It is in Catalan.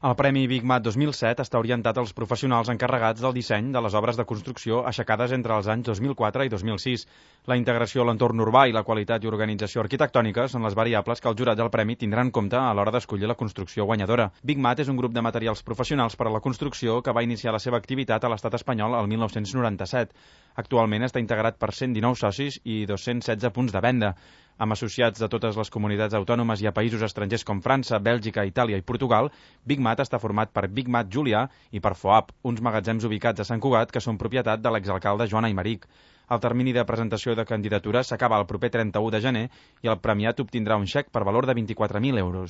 El Premi Big Mat 2007 està orientat als professionals encarregats del disseny de les obres de construcció aixecades entre els anys 2004 i 2006. La integració a l'entorn urbà i la qualitat i organització arquitectònica són les variables que el jurat del premi tindrà en compte a l'hora d'escollir la construcció guanyadora. Big Mat és un grup de materials professionals per a la construcció que va iniciar la seva activitat a l'estat espanyol el 1997. Actualment està integrat per 119 socis i 216 punts de venda. Amb associats de totes les comunitats autònomes i a països estrangers com França, Bèlgica, Itàlia i Portugal, Big Mat està format per Big Mat Julià i per FOAP, uns magatzems ubicats a Sant Cugat que són propietat de l'exalcalde Joan Aymeric. El termini de presentació de candidatures s'acaba el proper 31 de gener i el premiat obtindrà un xec per valor de 24.000 euros.